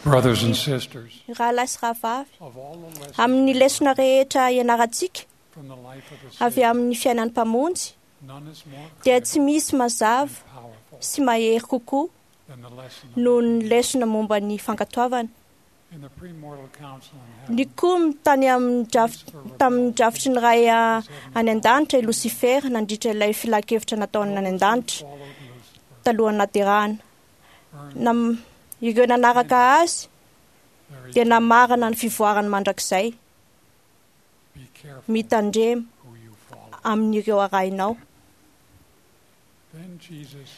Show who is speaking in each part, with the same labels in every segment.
Speaker 1: Brothers and sisters,
Speaker 2: Rahalahy sy rahavavy,
Speaker 1: of all the lessons
Speaker 2: amin'ny lesona rehetra ianarantsika
Speaker 1: from the life of the
Speaker 2: avy
Speaker 1: Savior,
Speaker 2: amin'ny fiainan'ny Mpamonjy
Speaker 1: none is more
Speaker 2: dia
Speaker 1: clear
Speaker 2: tsy misy mazava
Speaker 1: and powerful
Speaker 2: sy mahery kokoa
Speaker 1: than the lesson of
Speaker 2: noho ny
Speaker 1: obedience.
Speaker 2: lesona momba ny fankatoavana.
Speaker 1: In the premortal council in heaven,
Speaker 2: Nikomy tany amin'ny draf- tamin'ny drafitry ny Ray a- any an-danitra i Lucifer nandritra ilay filan-kevitra nataony any an-danitra
Speaker 1: followed Lucifer,
Speaker 2: talohan'ny naterahana.
Speaker 1: earned
Speaker 2: Nam- ireo nanaraka azy
Speaker 1: their
Speaker 2: dia
Speaker 1: eternal
Speaker 2: namarana ny fivoarany mandrakizay.
Speaker 1: Be careful
Speaker 2: Mitandrema
Speaker 1: who you follow.
Speaker 2: amin'ireo arahinao.
Speaker 1: Then Jesus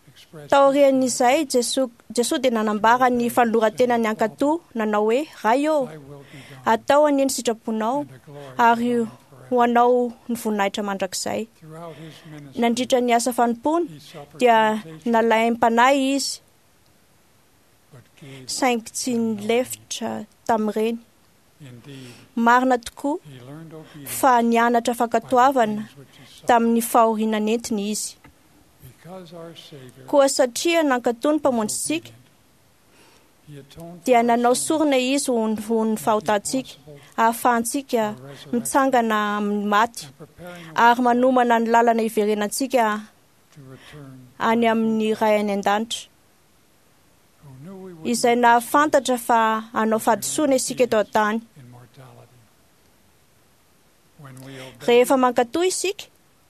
Speaker 1: expressed
Speaker 2: Taorian'izay, Jesoa Jesoa dia nanambara ny fanoloran-tenany hankatò, nanao hoe: Ray ô,
Speaker 1: Thy will be done,
Speaker 2: atao anie ny sitraponao
Speaker 1: and the glory
Speaker 2: ary
Speaker 1: be thine
Speaker 2: ho
Speaker 1: forever.
Speaker 2: anao ny voninahitra mandrakizay.
Speaker 1: Throughout his ministry,
Speaker 2: Nandritra ny asa fanompoany
Speaker 1: he suffered
Speaker 2: dia
Speaker 1: temptation,
Speaker 2: nalaim-panahy izy,
Speaker 1: but gave
Speaker 2: saingy tsy nilefitra tamin'ireny.
Speaker 1: Indeed,
Speaker 2: Marina tokoa
Speaker 1: he learned obedience
Speaker 2: fa nianatra
Speaker 1: by the
Speaker 2: fankatoavana
Speaker 1: things which he suffered.
Speaker 2: tamin'ny fahoriana nentiny izy.
Speaker 1: Because our Savior
Speaker 2: Koa satria nankatò ny
Speaker 1: was
Speaker 2: Mpamonjintsika,
Speaker 1: obedient, he atoned for
Speaker 2: dia
Speaker 1: our
Speaker 2: nanao
Speaker 1: sins
Speaker 2: sorona izy ho ny ho ny
Speaker 1: and made
Speaker 2: fahotantsika,
Speaker 1: possible
Speaker 2: ahafahantsika
Speaker 1: the resurrection
Speaker 2: mitsangana amin'ny maty
Speaker 1: and preparing a
Speaker 2: ary
Speaker 1: way
Speaker 2: manomana ny lalana hiverenantsika
Speaker 1: to return
Speaker 2: any amin'ny Ray any an-danitra,
Speaker 1: who knew we would
Speaker 2: izay
Speaker 1: make
Speaker 2: nahafantatra fa hanao fahadisoana isika eto an-tany.
Speaker 1: in mortality. When we obey,
Speaker 2: Rehefa mankatò isika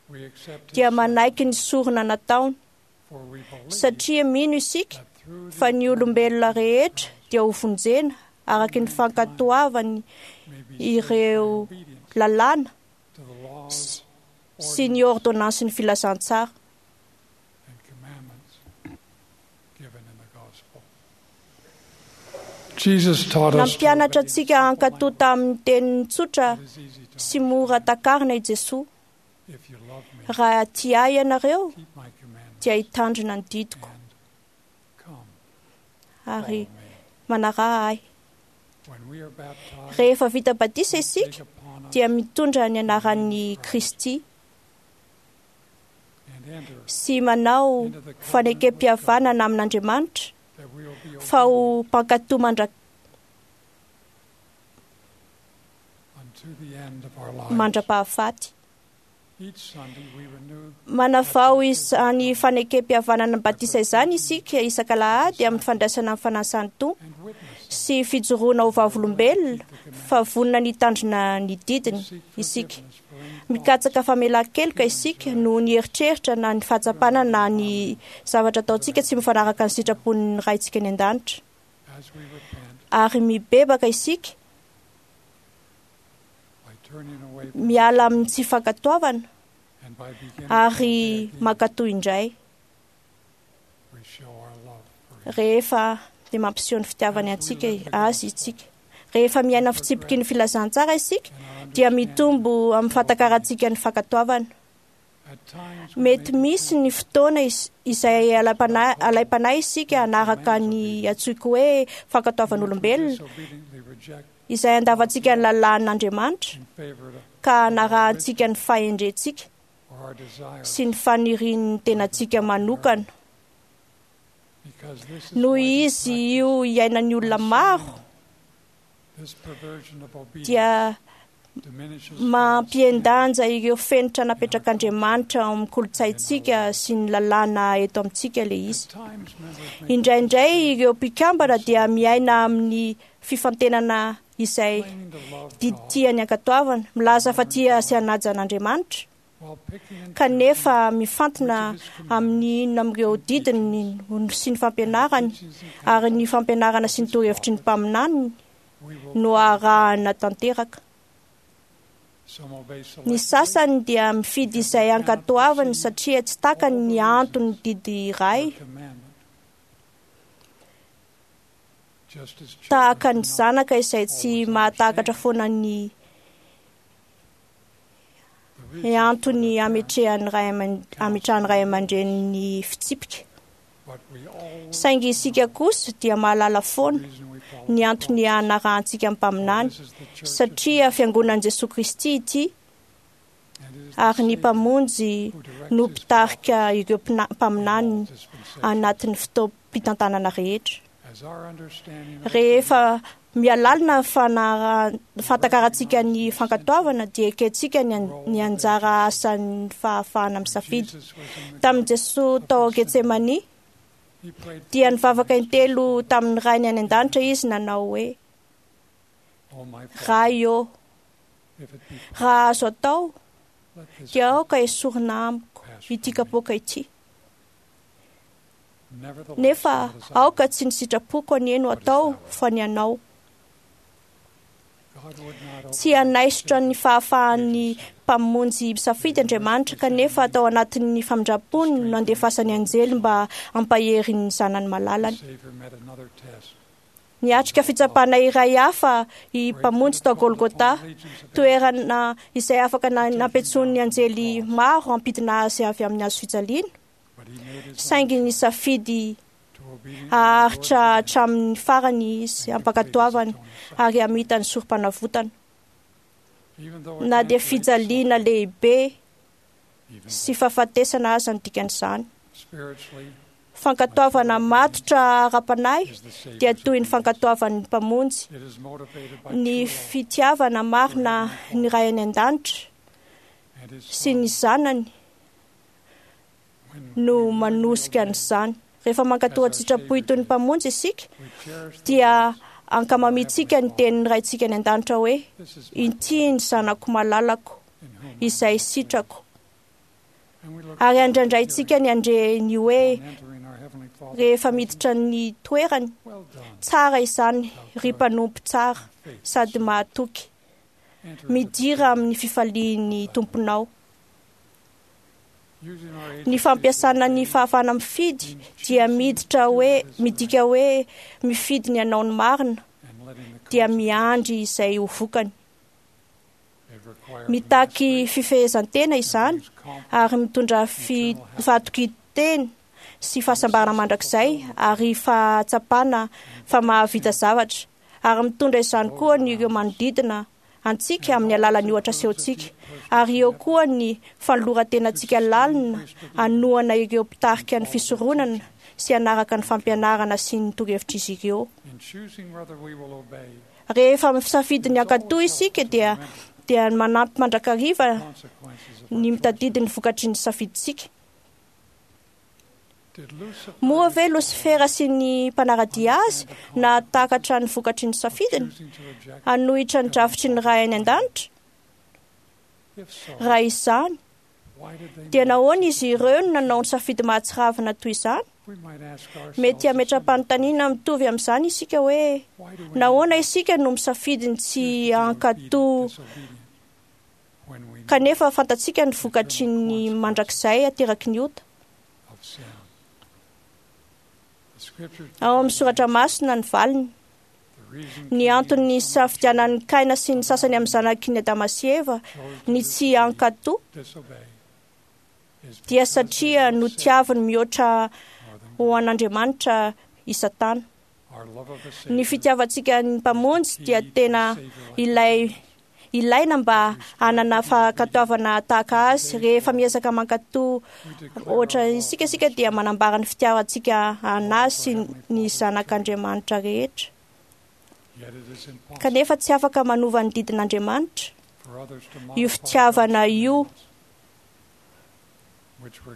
Speaker 1: we accept his
Speaker 2: dia manaiky ny sorona nataony,
Speaker 1: for we believe
Speaker 2: satria mino isika
Speaker 1: that through the
Speaker 2: fa ny olombelona rehetra dia ho vonjena araka ny fankatoavany
Speaker 1: may be saved by
Speaker 2: ireo
Speaker 1: obedience
Speaker 2: lalàna
Speaker 1: to the laws,
Speaker 2: sy ny ordonnansin'ny filazantsara.
Speaker 1: and commandments given in the gospel. Jesus taught us to
Speaker 2: Nampianatra
Speaker 1: obey in
Speaker 2: antsika
Speaker 1: simple
Speaker 2: hankatò
Speaker 1: language
Speaker 2: tamin'ny teniny tsotra
Speaker 1: that is easy to
Speaker 2: sy mora takarina i Jesoa.
Speaker 1: If you love me,
Speaker 2: Raha tia ahy ianareo
Speaker 1: keep my commandments
Speaker 2: dia hitandrina ny didiko
Speaker 1: and come
Speaker 2: ary
Speaker 1: follow me.
Speaker 2: manaraha ahy.
Speaker 1: When we are baptized,
Speaker 2: Rehefa vita batisa
Speaker 1: we
Speaker 2: isika
Speaker 1: take upon us
Speaker 2: dia mitondra ny anaran'ny Kristy
Speaker 1: and enter
Speaker 2: sy manao
Speaker 1: into the covenant with God
Speaker 2: fanekem-pihavanana amin'Andriamanitra
Speaker 1: that we will be
Speaker 2: fa ho
Speaker 1: obedient
Speaker 2: mpankatò mandra-
Speaker 1: unto the end of our lives.
Speaker 2: mandra-pahafaty.
Speaker 1: Each Sunday we renew
Speaker 2: Manavao izany fanekem-pihavanana ny batisa izany isika isak'alahady amin'ny fandraisana ny fanasan'ny Tompo
Speaker 1: and witness
Speaker 2: sy fijoroana ho vavolombelona fa vonona ny hitandrina ny didiny
Speaker 1: seek
Speaker 2: isika.
Speaker 1: forgiveness for any thoughts,
Speaker 2: Mikatsaka famelan-keloka isika noho ny eritreritra na ny fahatsapana na ny zavatra ataontsika tsy mifanaraka ny sitrapon'ny Raintsika any an-danitra.
Speaker 1: as we repent
Speaker 2: Ary mibebaka isika
Speaker 1: by turning away from
Speaker 2: miala amin'ny tsy fankatoavana
Speaker 1: and by beginning to
Speaker 2: ary
Speaker 1: obey again,
Speaker 2: mankatò indray
Speaker 1: we show our love for him.
Speaker 2: rehefa dia mampiseho ny fitiavany antsika azy isika. Rehefa miaina ny fitsipiky ny filazantsara isika
Speaker 1: And our
Speaker 2: dia
Speaker 1: understanding
Speaker 2: mitombo amin'ny fahatakarantsika ny fankatoavana.
Speaker 1: At times we
Speaker 2: Mety
Speaker 1: may be
Speaker 2: misy ny fotoana is- izay alaim-panahy alaim-panahy isika hanaraka ny antsoiko hoe fankatoavan'olombelona
Speaker 1: disobediently reject
Speaker 2: izay andavantsika ny lalàn'Andriamanitra
Speaker 1: in favor of
Speaker 2: ka hanarahantsika ny fahendrentsika
Speaker 1: or our desire
Speaker 2: sy ny fanirian'ny tenantsika manokana.
Speaker 1: because this is
Speaker 2: Noho
Speaker 1: widely
Speaker 2: izy io iainan'ny olona
Speaker 1: practiced.
Speaker 2: maro
Speaker 1: This perversion of obedience
Speaker 2: dia
Speaker 1: diminishes
Speaker 2: mampihen-danja ireo fenitra napetrak'Andriamanitra ao amin'ny kolontsaintsika sy ny lalàna eto amintsika ilay izy.
Speaker 1: At times members may
Speaker 2: Indraindray ireo mpikambana dia miaina amin'ny fifantenana izay
Speaker 1: claiming to love
Speaker 2: didy
Speaker 1: God
Speaker 2: tiany ankatoavana, milaza fa tia sy hanaja an'Andriamanitra,
Speaker 1: while picking and
Speaker 2: kanefa mifantina
Speaker 1: choosing which of his
Speaker 2: amin'ny inona amin'ireo didiny sy ny fampianarany
Speaker 1: teachings and
Speaker 2: ary ny fampianarana sy ny torohevitry ny mpaminaniny
Speaker 1: we will
Speaker 2: no arahana tanteraka.
Speaker 1: some obey
Speaker 2: Ny
Speaker 1: selectively,
Speaker 2: sasany dia mifidy izay ankatoavany satria tsy takany ny antony didy iray
Speaker 1: or commandment. Just as children
Speaker 2: tahaka
Speaker 1: do
Speaker 2: ny
Speaker 1: not
Speaker 2: zanaka izay tsy mahatakatra foana ny
Speaker 1: the reason for
Speaker 2: antony
Speaker 1: their parents,
Speaker 2: ametrehan'ny ray aman- ametrahan'ny ray aman-dreny ny fitsipika.
Speaker 1: but we always
Speaker 2: Saingy isika kosa dia mahalala foana
Speaker 1: reason we follow
Speaker 2: ny
Speaker 1: the
Speaker 2: antony
Speaker 1: prophets.
Speaker 2: hanarahantsika ny
Speaker 1: For
Speaker 2: mpaminany
Speaker 1: this is the church of
Speaker 2: satria fiangonan'i Jesoa Kristy ity
Speaker 1: and it is the
Speaker 2: ary ny
Speaker 1: Savior
Speaker 2: Mpamonjy
Speaker 1: who directs
Speaker 2: no
Speaker 1: his
Speaker 2: mpitarika ireo
Speaker 1: prophets in all
Speaker 2: mpaminaniny
Speaker 1: dispensations.
Speaker 2: anatin'ny fotoam-pitantanana rehetra. Rehefa mialalina ny fahatakarantsika ny fankatoavana dia ekentsika ny anjara asan'ny fahafahana misafidy. Tamin'i Jesoa tao Getsemania dia nivavaka intelo tamin'ny Rainy any an-danitra izy nanao hoe: Ray ô, raha azo atao dia aoka esorina amiko ity kapoaka ity. Nefa aoka tsy ny sitrapoko anie no atao fa ny anao. Tsy hanaisotra ny fahafahan'ny Mpamonjy misafidy Andriamanitra, kanefa tao anatin'ny famindrampony no nandefasany anjely mba hampahery ny zanany malalany. Niatrika fitsapana iray hafa i Mpamonjy tao Golgotha, toerana izay afaka nampiantsoan'ny anjely maro hampidina azy avy amin'ny hazo fijaliana, saingy nisafidy haharitra hatramin'ny farany izy hampankatoavana ary hamita ny sorom-panavotana. Na dia fijaliana lehibe sy fahafatesana aza ny dikan'izany. Fankatoavana matotra ara-panahy dia toy ny fankatoavan'ny Mpamonjy, ny fitiavana marina ny Ray any an-danitra sy ny Zanany no manosika an'izany. Rehefa mankatò an-tsitrapo toy ny Mpamonjy isika dia ankamamiantsika ny tenin'ny Raintsika any an-danitra hoe: Inty ny zanako malalako izay sitrako. Ary andrandraintsika ny handre ny hoe rehefa miditra ny toerany: Tsara izany, ry mpanompo tsara sady mahatoky. Midira amin'ny fifalian'ny Tomponao. Ny fampiasana ny fahafahana mifidy dia miditra hoe midika hoe mifidy ny hanao ny marina dia miandry izay ho vokany. Mitaky fifehezan-tena izany ary mitondra fahatokian-tena sy fahasambarana mandrakizay ary fahatsapana fa mahavita zavatra, ary mitondra izany koa ny ireo manodidina antsika amin'ny alalan'ny ohatra asehontsika, ary eo koa ny fanoloran-tenantsika lalina hanohana ireo mpitarika ny fisoronana sy hanaraka ny fampianarana sy ny torohevitr'izy ireo. Rehefa misafidy ny hankatò isika dia dia manampy mandrakariva ny mitadidy ny vokatry ny safidintsika. Moa ve Losifera sy ny mpanara-dia azy nahatakatra ny vokatry ny safidiny hanohitra ny drafitry ny Ray any an-danitra? Raha izany, dia nahoana izy ireo no nanao ny safidy mahatsiravina toy izany? Mety hametra-panontaniana mitovy amin'izany isika hoe: nahoana isika no misafidy ny tsy hankatò kanefa fantatsika ny vokatry ny mandrakizay ateraky ny ota? Ao amin'ny soratra masina ny valiny. Ny antony nisafidianan'i Kaina sy ny sasany amin'ny zanaky ny Adama sy Eva ny tsy hankatò dia satria notiaviny mihoatra ho an'Andriamanitra i Satana. Ny fitiavantsika ny Mpamonjy dia tena ilay ilaina mba hanana fankatoavana tahaka azy. Rehefa miezaka mankatò ohatra isika isika dia manambara ny fitiavantsika anazy sy ny zanak'Andriamanitra rehetra. Kanefa tsy afaka manova ny didin'Andriamanitra io fitiavana io,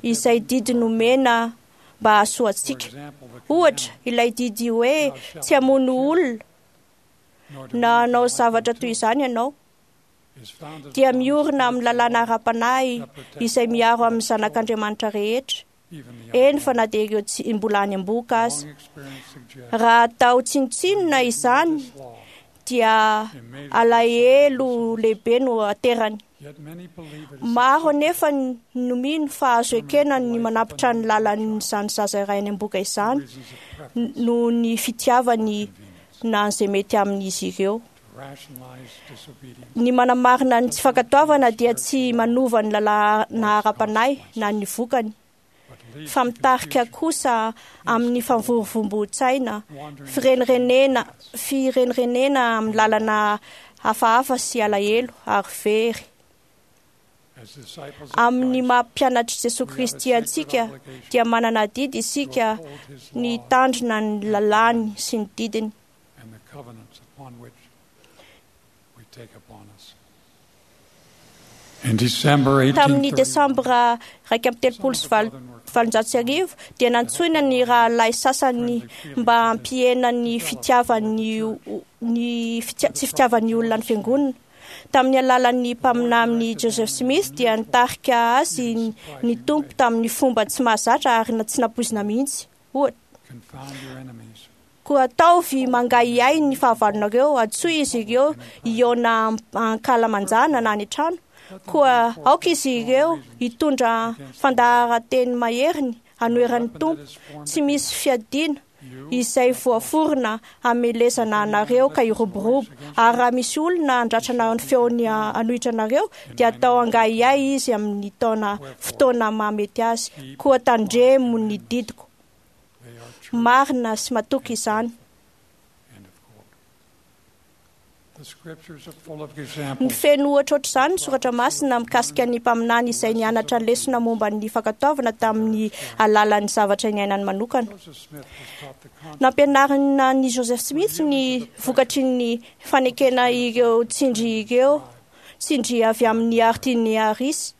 Speaker 2: izay didy nomena mba hahasoa antsika. Ohatra, ilay didy hoe tsy hamono olona na hanao zavatra toy izany ianao dia miorina amin'ny lalàna ara-panahy izay miaro amin'ny zanak'Andriamanitra rehetra, eny fa na dia ireo tsy mbola any am-bohoka aza. Raha atao tsinontsinona izany dia alahelo lehibe no aterany. Maro anefa no mino fa azo ekena ny manampitra ny lalan'izany zaza iray any am-bohoka izany noho ny fitiavany na izay mety amin'izy ireo. Ny manamarina ny tsy fankatoavana dia tsy manova ny lalàna ara-panahy na ny vokany, fa mitarika kosa amin'ny famvorovomboan-tsaina, firenirenen firenirenen amin'ny lalana hafahafa sy alahelo ary very. Amin'ny maha mpianatr'i Jesoa Kristy antsika dia manana adidy isika ny hitandrina ny lalàny sy ny didiny. Tamin'ny desambra 1831 dia nantsoina ny rahalahy sasany mba hampihena ny fitiavan'ny ny tsy fitiavan'ny olona ny fiangonana. Tamin'ny alalan'ny mpaminany Joseph Smith dia nitarika azy ny Tompo tamin'ny fomba tsy mahazatra ary tsy nampoizina mihitsy. Ohatra, koa ataovy mangahiahy ny fahavalonareo, antsoy izy ireo hihaona ankalamanjana na any an-trano. Koa aoka izy ireo hitondra fandaharan-teny maheriny hanoheran'ny Tompo, tsy misy fiadiana izay voaforona hamelezana anareo ka hiroborobo. Ary raha misy olona handratrana ny feony hanohitra anareo, dia atao angahiahy izy amin'ny taona fotoana mahamety azy. Koa tandremo ny didiko. Marina sy matoky izany. Ny feno ohatra ohatr'izany ny soratra masina mikasika ny mpaminany izay nianatra lesona momba ny fankatoavana tamin'ny alalan'ny zavatra niainany manokana. Nampianarina ny Joseph Smith ny vokatry ny fanekena ireo tsindry ireo tsindry avy amin'ny Martin Harris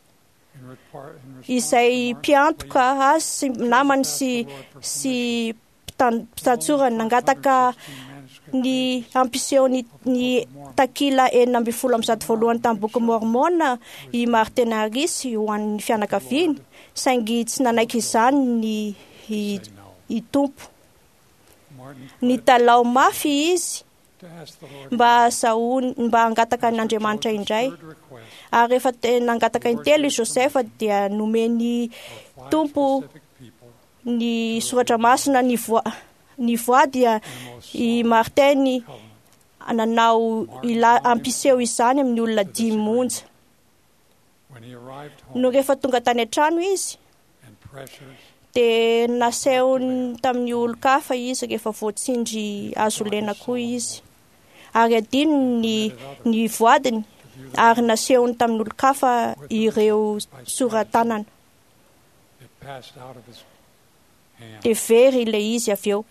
Speaker 2: izay mpiantoka azy sy namany sy sy mpitantsorany nangataka ny hampiseho ny, ny takila 316 voalohany tamin'ny boky Mormona i Martin Harris ho an'ny fianakaviany, saingy tsy nanaiky izany ny i, i Tompo. Nitalaho mafy izy mba hahazahoany mba hangataka an'Andriamanitra indray. Ary rehefa nangataka intelo i Joseph dia nomen'ny Tompo ny soratra masina ny voa ny voa dia i Martin nanao ila hampiseho izany amin'ny olona dimy monja. No rehefa tonga tany an-trano izy dia nasehony tamin'ny olon-kafa izy rehefa voatsindry azo lena koa izy. Ary adinony ny, ny voadiny ary nasehony tamin'ny olon-kafa ireo sora-tanana. Dia very ilay izy avy eo.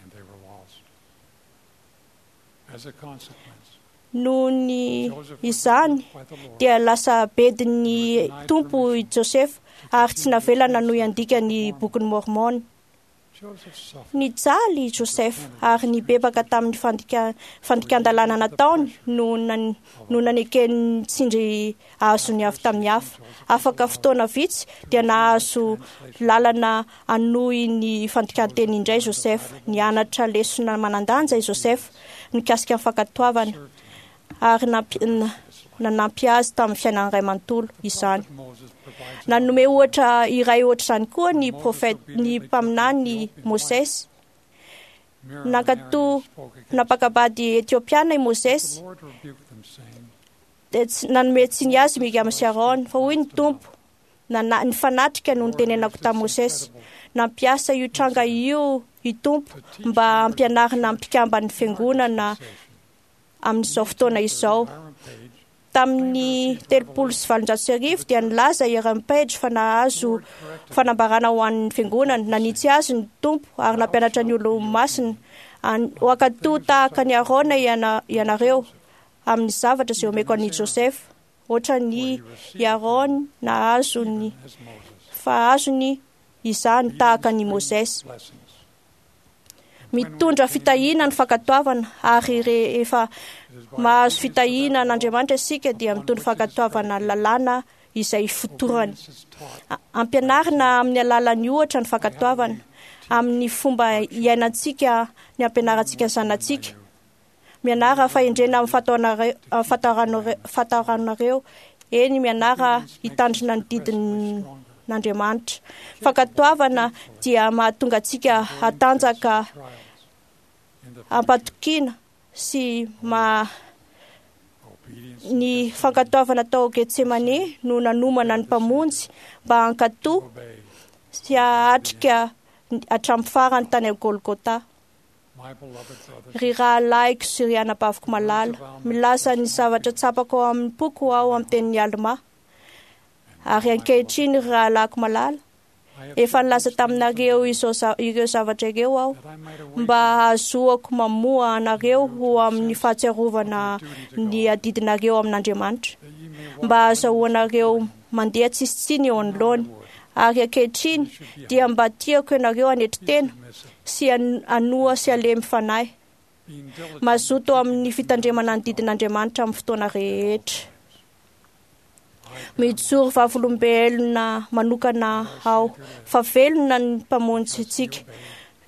Speaker 2: Noho ny izany dia lasa bedin'ny Tompo i Josefa ary tsy navela nanohy handika ny bokin'i Mormon. Nijaly i Joseph ary nibebaka tamin'ny fandikan-dalàna nataony no no naneken'ny tsindry azony avy tamin'ny hafa. Afaka fotoana vitsy dia nahazo lalana hanohy ny fandikan-teny indray Joseph. Nianatra lesona manan-danja i Joseph mikasika ny fankatoavana ary nanampy azy tamin'ny fiainany iray manontolo izany. Nanome ohatra iray ohatr'izany koa ny profeta ny mpaminany Mosesy. Nankatò nampakabady Etiopiana i Mosesy dia tsy nanome tsiny azy Miriam sy Aaron fa hoy ny Tompo nifanatrika no nitenenako tamin'i Mosesy. Nampiasa io tranga io i Tompo mba hampianarina mpikamban'ny fiangonana amin'izao fotoana izao. Tamin'ny 1830 dia nilaza i Aaron Page fa nahazo fanambarana ho an'ny fiangonana. Nanitsy azy ny Tompo ary nampianatra ny olo-masina ho hankatò tahaka ny Aarona ianareo amin'ny zavatra izay omeko an'i Joseph. Ohatra ny i Aaron nahazo ny fa azony izany tahaka ny Mosesy. Mitondra fitahiana ny fankatoavana ary rehefa mahazo fitahiana an'Andriamanitra isika dia mitondra fankatoavana lalàna izay fotorany. Ampianarina amin'ny alalan'ny ohatra ny fankatoavana amin'ny fomba iainantsika ny ampianarantsika ny zanatsika. Mianara fahendrena amin'ny fahataranareo, eny mianara hitandrina ny didin'Andriamanitra. Fankatoavana dia mahatonga antsika hatanjaka ampatokiana sy ma ny fankatoavana tao Getsemane no nanomana ny Mpamonjy mba hankatò sy hahatrika hatramin'ny farany tany Golgotha. Ry rahalahiko sy ry anabaviko malala, milaza ny zavatra tsapako ao amin'ny poko aho amin'ny tenin'i Alma. Ary ankehitriny, ry rahalahiko malala, efa nilaza taminareo izao ireo zavatra ireo aho mba hahazoako mamoha anareo ho amin'ny fahatsiarovana ny adidinareo amin'Andriamanitra, mba hahazoanareo mandeha tsisy tsiny eo anoloany. Ary ankehitriny dia mba tiako ianareo hanetry tena sy hanoa sy halemy fanahy, mazoto amin'ny fitandremana ny didin'Andriamanitra amin'ny fotoana rehetra. Mijoro vavolombelona manokana aho fa velona ny Mpamonjy antsika.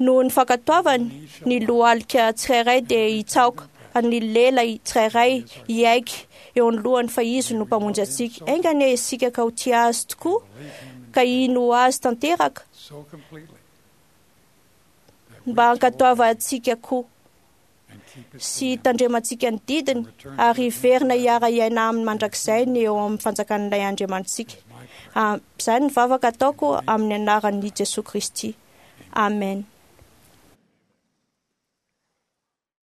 Speaker 2: Noho ny fankatoavany, ny lohalika tsirairay dia hitsaoka, ny lela tsirairay hiaiky eo anoloany fa Izy no Mpamonjy antsika. Enga anie isika ka ho tia Azy tokoa, ka hino Azy tanteraka, mba hankatoavantsika koa sy hitandremantsika ny didiny ary hiverina hiara-hiaina aminy mandrakizay ny eo amin'ny fanjakan'ilay Andriamanitsika. Izany ny vavaka ataoko amin'ny anaran'i Jesoa Kristy. Amen.